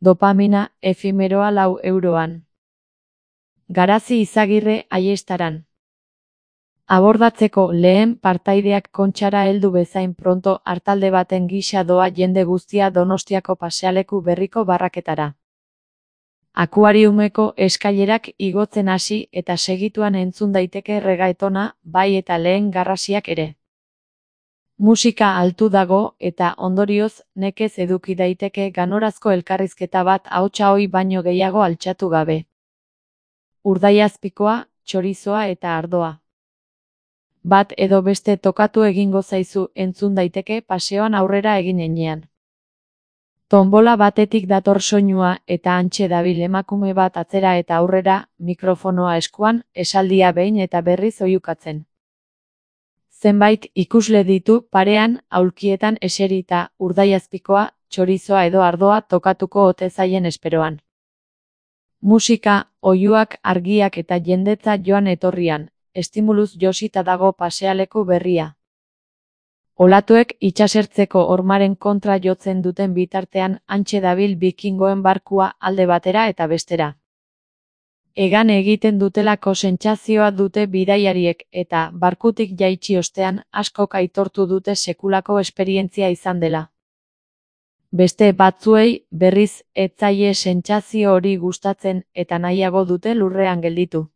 Dopamina, efimeroa 4 euroan. Garazi Izagirre Aiestaran. Abordatzeko lehen partaideak Kontxara heldu bezain pronto artalde baten gisa doa jende guztia Donostiako pasealeku berriko barraketara. Akuariumeko eskailerak igotzen hasi eta segituan entzun daiteke reggaetona, bai eta lehen garrasiak ere. Musika altu dago eta ondorioz nekez eduki daiteke ganorazko elkarrizketa bat ahotsa ohi baino gehiago altxatu gabe. Urdaiazpikoa, txorizoa eta ardoa. Bat edo beste tokatu egingo zaizu entzun daiteke paseoan aurrera egin enean. Tonbola batetik dator soinua eta hantxe dabil emakume bat atzera eta aurrera, mikrofonoa eskuan, esaldia behin eta berriz oihukatzen. Zenbait ikusle ditu parean, aulkietan eserita, urdaiazpikoa, txorizoa edo ardoa tokatuko ote zaien esperoan. Musika, oihuak, argiak eta jendetza joan etorrian, estimuluz josita dago pasealeku berria. Olatuek itsasertzeko hormaren kontra jotzen duten bitartean hantxe dabil bikingoen barkua alde batera eta bestera. Hegan egiten dutelako sentsazioa dute bidaiariek eta barkutik jaitsi ostean askok aitortu dute sekulako esperientzia izan dela. Beste batzuei berriz ez zaie sentsazio hori gustatzen eta nahiago dute lurrean gelditu.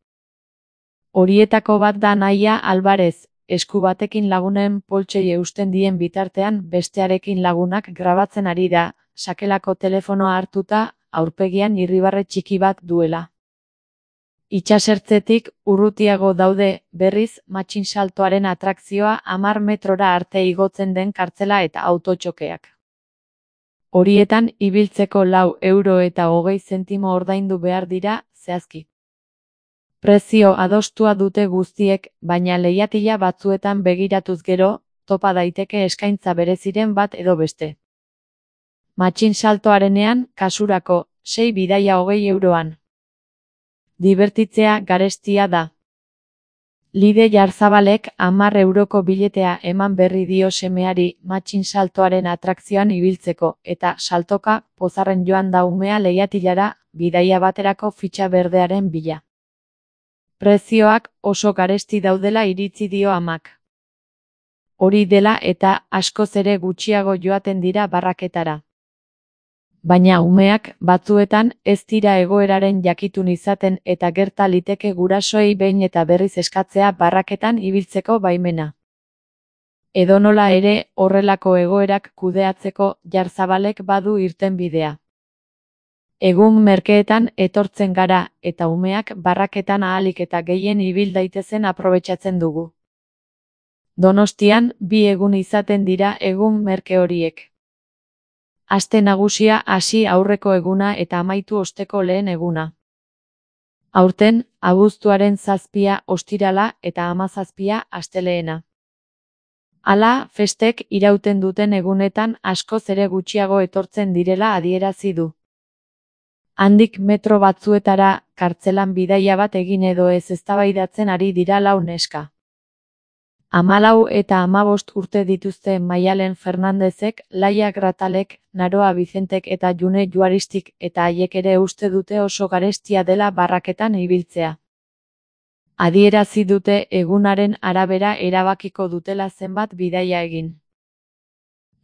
Horietako bat da Naia Alvarez, esku batekin lagunen poltsei eusten dien bitartean bestearekin lagunak grabatzen ari da, sakelako telefonoa hartuta, aurpegian irribarre txiki bat duela. Itsasertzetik urrutiago daude, berriz, matxinsaltoaren atrakzioa 10 metrora arte igotzen den kartzela eta autotxokeak. Horietan ibiltzeko 4,20 € ordaindu behar dira, zehazki. Prezio adostua dute guztiek, baina leihatila batzuetan begiratuz gero, topa daiteke eskaintza bereziren bat edo beste. Matxinsaltoarenean, kasurako, 6 bidaia 20 euroan. Dibertitzea garestia da. Lide Jarzabalek 10 euroko biletea eman berri dio semeari matxinsaltoaren atrakzioan ibiltzeko, eta saltoka, pozarren joan da umea leihatilara, bidaia baterako fitxa berdearen bila. Prezioak oso garesti daudela iritzi dio amak. Hori dela eta askoz ere gutxiago joaten dira barraketara. Baina umeak batzuetan ez dira egoeraren jakitun izaten eta gerta liteke gurasoei behin eta berriz eskatzea barraketan ibiltzeko baimena. Edonola ere, horrelako egoerak kudeatzeko Jarzabalek badu irtenbidea. Egun merkeetan etortzen gara eta umeak barraketan ahalik eta gehien ibil daitezen aprobetxatzen dugu. Donostian 2 egun izaten dira egun merke horiek. Aste nagusia hasi aurreko eguna eta amaitu osteko lehen eguna. Aurten, abuztuaren 7 ostirala eta 17 astelehena. Hala, festek irauten duten egunetan askoz ere gutxiago etortzen direla adierazi du. Handik metro batzuetara, kartzelan bidaia bat egin edo ez eztabaidatzen ari dira 4 neska. 14 eta 15 urte dituzte Maialen Fernandezek, Laia Gratalek, Naroa Bizentek eta June Juaristik eta haiek ere uste dute oso garestia dela barraketan ibiltzea. Adierazi dute egunaren arabera erabakiko dutela zenbat bidaia egin.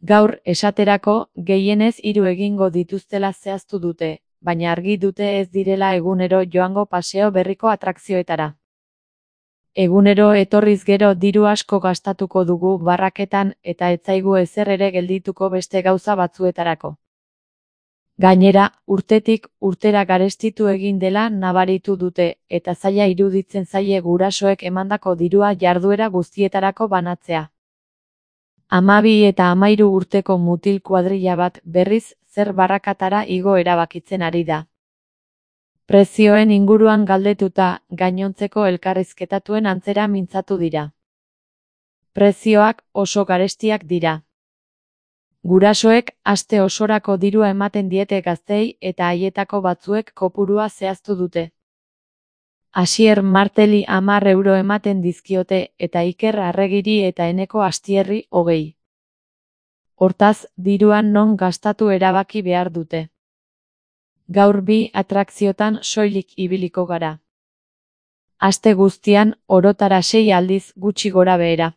Gaur, esaterako, gehienez 3 egingo dituztela zehaztu dute, baina argi dute ez direla egunero joango paseo berriko atrakzioetara. Egunero etorriz gero diru asko gastatuko dugu barraketan eta ez zaigu ezer ere geldituko beste gauza batzuetarako. Gainera, urtetik urtera garestitu egin dela nabaritu dute eta zaila iruditzen zaie gurasoek emandako dirua jarduera guztietarako banatzea. 12 eta 13 urteko mutil kuadrilla bat berriz zer barrakatara igo erabakitzen ari da. Prezioen inguruan galdetuta, gainontzeko elkarrizketatuen antzera mintzatu dira. Prezioak oso garestiak dira. Gurasoek aste osorako dirua ematen diete gazteei eta haietako batzuek kopurua zehaztu dute. Asier Marteli 10 euro ematen dizkiote eta Iker Arregiri eta Eneko Astierri 20. Hortaz, diruan non gastatu erabaki behar dute. Gaur 2 atrakziotan soilik ibiliko gara. Aste guztian, orotara 6 aldiz gutxi gora behera.